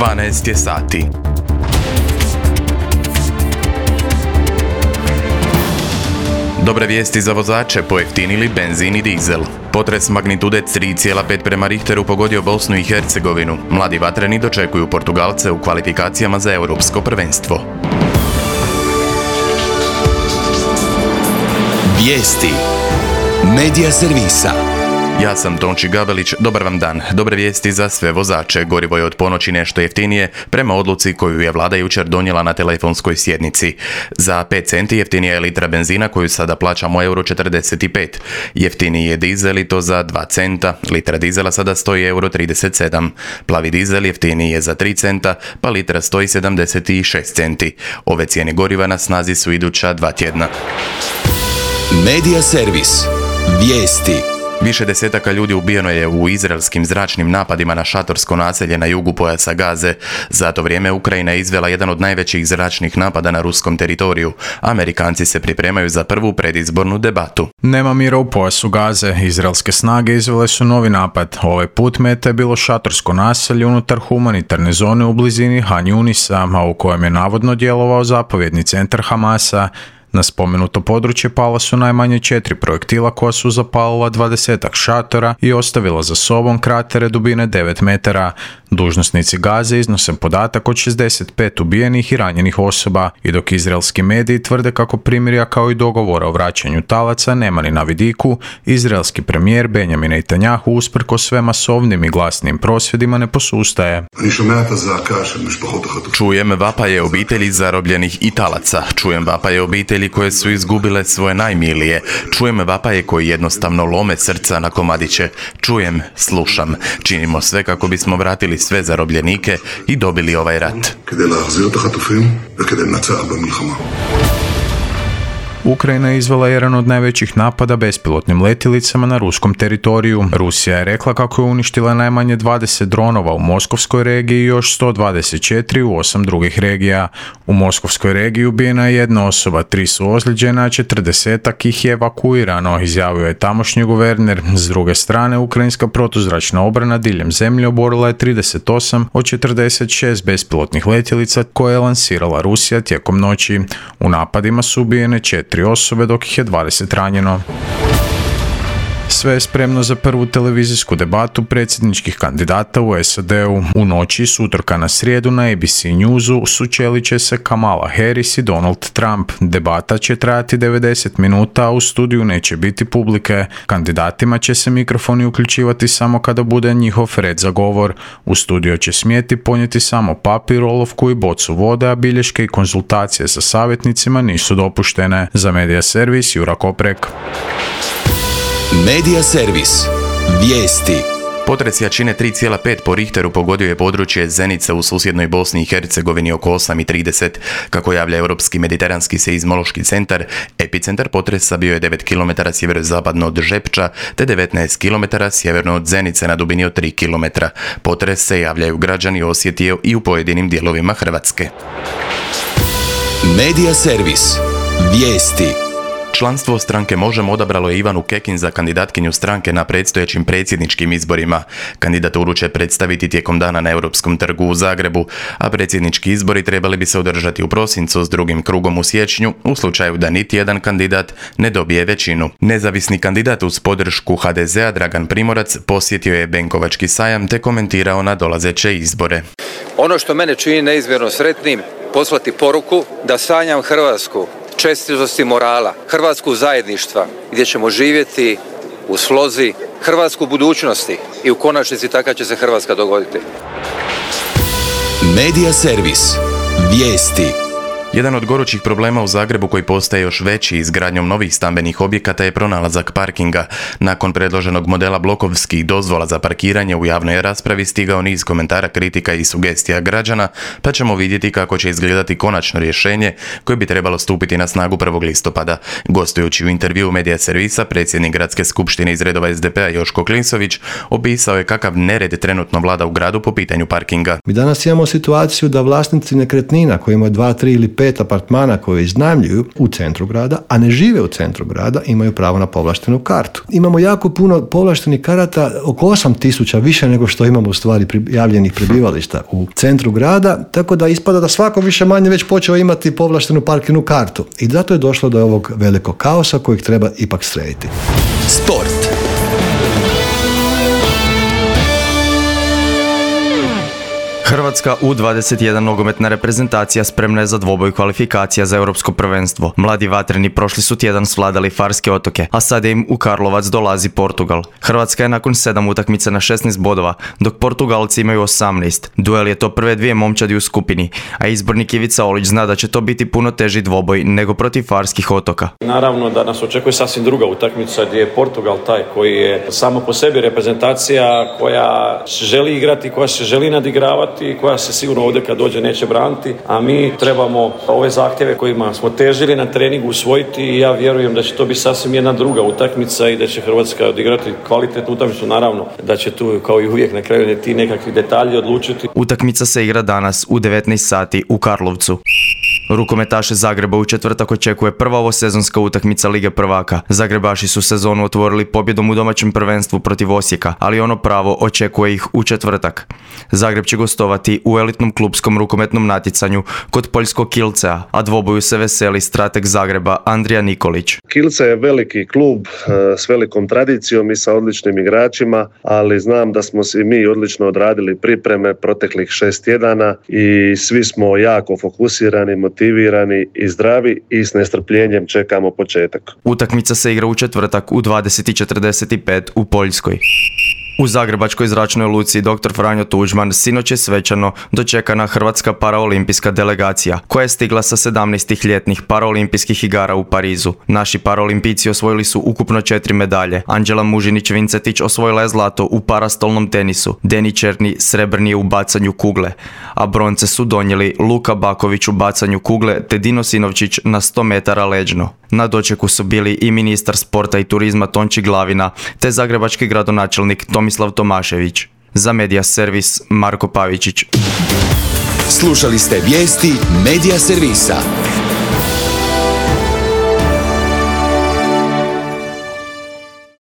12 je sati. Dobre vijesti za vozače, pojeftinili benzin i dizel. Potres magnitude 3,5 prema Richteru pogodio Bosnu i Hercegovinu. Mladi vatreni dočekuju Portugalce u kvalifikacijama za europsko prvenstvo. Vijesti Medija servisa. Ja sam Tonči Gabelić, dobar vam dan. Dobre vijesti za sve vozače. Gorivo je od ponoći nešto jeftinije prema odluci koju je vlada jučer donijela na telefonskoj sjednici. Za 5 centi jeftinija je litra benzina koju sada plaćamo €45. Jeftiniji je dizel i to za 2 centa. Litra dizela sada stoji €37. Plavi dizel jeftiniji je za 3 centa, pa litra stoji 76 centi. Ove cijene goriva na snazi su iduća 2 tjedna. Medija servis. Vijesti. Više desetaka ljudi ubijeno je u izraelskim zračnim napadima na šatorsko naselje na jugu pojasa Gaze. Za to vrijeme Ukrajina je izvela jedan od najvećih zračnih napada na ruskom teritoriju. Amerikanci se pripremaju za prvu predizbornu debatu. Nema mira u pojasu Gaze. Izraelske snage izvele su novi napad. Ovaj put meta je bilo šatorsko naselje unutar humanitarne zone u blizini Han Junisa, a u kojem je navodno djelovao zapovjedni centar Hamasa. Na spomenuto područje pala su najmanje 4 projektila koja su zapalila 20-ak šatora i ostavila za sobom kratere dubine 9 metara. Dužnosnici Gaze iznose podatak od 65 ubijenih i ranjenih osoba, i dok izraelski mediji tvrde kako primirja kao i dogovora o vraćanju talaca nema ni na vidiku, izraelski premijer Benjamin Netanjahu usprkos sve masovnim i glasnim prosvjedima ne posustaje. Čujem vapaje obitelji zarobljenih i talaca. Čujem vapaje obitelji koje su izgubile svoje najmilije. Čujem vapaje koji jednostavno lome srca na komadiće. Čujem, slušam. Činimo sve kako bismo vratili sve zarobljenike i dobili ovaj rat. Ukrajina je izvela jedan od najvećih napada bespilotnim letjelicama na ruskom teritoriju. Rusija je rekla kako je uništila najmanje 20 dronova u Moskovskoj regiji i još 124 u 8 drugih regija. U Moskovskoj regiji ubijena je jedna osoba, 3 su ozlijeđena, a 40-ak ih je evakuirano, izjavio je tamošnji guverner. S druge strane, ukrajinska protuzračna obrana diljem zemlje oborila je 38 od 46 bespilotnih letjelica koje je lansirala Rusija tijekom noći. U napadima su ubijene 4 osobe, dok ih je 20 ranjeno. Sve je spremno za prvu televizijsku debatu predsjedničkih kandidata u SAD-u. U noći s utorka na srijedu na ABC Newsu sučelit će se Kamala Harris i Donald Trump. Debata će trajati 90 minuta, a u studiju neće biti publike. Kandidatima će se mikrofoni uključivati samo kada bude njihov red za govor. U studio će smjeti ponijeti samo papir, olovku i bocu vode, a bilješke i konzultacije sa savjetnicima nisu dopuštene. Za Medija servis Jura Koprek. Medija servis. Vijesti. Potres jačine 3,5 po Richteru pogodio je područje Zenica u susjednoj Bosni i Hercegovini oko 8:30. Kako javlja Europski mediteranski seizmološki centar, epicentar potresa bio je 9 km sjeverozapadno od Žepča te 19 km sjeverno od Zenice na dubini od 3 km. Potres se, javljaju građani, osjetio i u pojedinim dijelovima Hrvatske. Medija servis. Vijesti. Članstvo stranke Možemo odabralo je Ivanu Kekin za kandidatkinju stranke na predstojećim predsjedničkim izborima. Kandidaturu će predstaviti tijekom dana na Europskom trgu u Zagrebu, a predsjednički izbori trebali bi se održati u prosincu s drugim krugom u siječnju u slučaju da niti jedan kandidat ne dobije većinu. Nezavisni kandidat uz podršku HDZ-a Dragan Primorac posjetio je Benkovački sajam te komentirao na dolazeće izbore. Ono što mene čini neizmjerno sretnim, poslati poruku da sanjam Hrvatsku čestitosti morala, Hrvatsku zajedništva gdje ćemo živjeti u slozi, Hrvatsku budućnosti i u konačnici taka će se Hrvatska dogoditi. Medija servis. Vijesti. Jedan od gorućih problema u Zagrebu koji postaje još veći izgradnjom novih stambenih objekata je pronalazak parkinga. Nakon predloženog modela blokovskih dozvola za parkiranje u javnoj raspravi stigao niz komentara, kritika i sugestija građana, pa ćemo vidjeti kako će izgledati konačno rješenje koje bi trebalo stupiti na snagu 1. listopada. Gostujući u intervjuu Medija servisa, predsjednik gradske skupštine iz redova SDP-a Joško Klinsović opisao je kakav nered trenutno vlada u gradu po pitanju parkinga. Mi danas imamo situaciju da vlasnici nekretnina koji imaju 2, 3 ili 5 5 apartmana koje iznajmljuju u centru grada, a ne žive u centru grada, imaju pravo na povlaštenu kartu. Imamo jako puno povlaštenih karata, oko 8.000 više nego što imamo u stvari prijavljenih prebivališta u centru grada, tako da ispada da svako više manje već počeo imati povlaštenu parkirnu kartu. I zato je došlo do ovog velikog kaosa kojeg treba ipak srediti. Sport. Hrvatska U21 nogometna reprezentacija spremna je za dvoboj kvalifikacija za europsko prvenstvo. Mladi vatreni prošli su tjedan svladali Farske otoke, a sada im u Karlovac dolazi Portugal. Hrvatska je nakon 7 utakmica na 16 bodova, dok Portugalci imaju 18. Duel je to prve dvije momčadi u skupini, a izbornik Ivica Olić zna da će to biti puno teži dvoboj nego protiv Farskih otoka. Naravno da nas očekuje sasvim druga utakmica gdje je Portugal taj koji je samo po sebi reprezentacija koja želi igrati, koja se želi nadigravati i koja se sigurno ovdje kad dođe neće braniti, a mi trebamo ove zahtjeve kojima smo težili na treningu usvojiti i ja vjerujem da će to biti sasvim jedna druga utakmica i da će Hrvatska odigrati kvalitetnu utakmicu, naravno da će tu kao i uvijek na kraju ti nekakvi detalji odlučiti. Utakmica se igra danas u 19 sati u Karlovcu. Rukometaše Zagreba u četvrtak očekuje prva ovosezonska utakmica Lige prvaka. Zagrebaši su sezonu otvorili pobjedom u domaćem prvenstvu protiv Osijeka, ali ono pravo očekuje ih u četvrtak. Zagreb će gostovati u elitnom klupskom rukometnom natjecanju kod poljskog Kielcea, a dvoboju se veseli strateg Zagreba Andrija Nikolić. Kielce je veliki klub s velikom tradicijom i sa odličnim igračima, ali znam da smo si mi odlično odradili pripreme proteklih 6 tjedana i svi smo jako fokusirani, motivirani i zdravi i s nestrpljenjem čekamo početak. Utakmica se igra u četvrtak u 20:45 u Poljskoj. U zagrebačkoj zračnoj luci dr. Franjo Tuđman sinoć je svečano dočekana hrvatska paraolimpijska delegacija koja je stigla sa 17 ljetnih paraolimpijskih igara u Parizu. Naši paraolimpijci osvojili su ukupno 4 medalje. Anđela Mužinić-Vincetić osvojila je zlato u parastolnom tenisu, Deni Černi srebrni u bacanju kugle, a bronce su donijeli Luka Baković u bacanju kugle te Dino Sinovčić na 100 metara leđno. Na dočeku su bili i ministar sporta i turizma Tonči Glavina te zagrebački gradonačelnik Tomislav Tomašević. Za Media Servis Marko Pavičić. Slušali ste vijesti Media Servisa.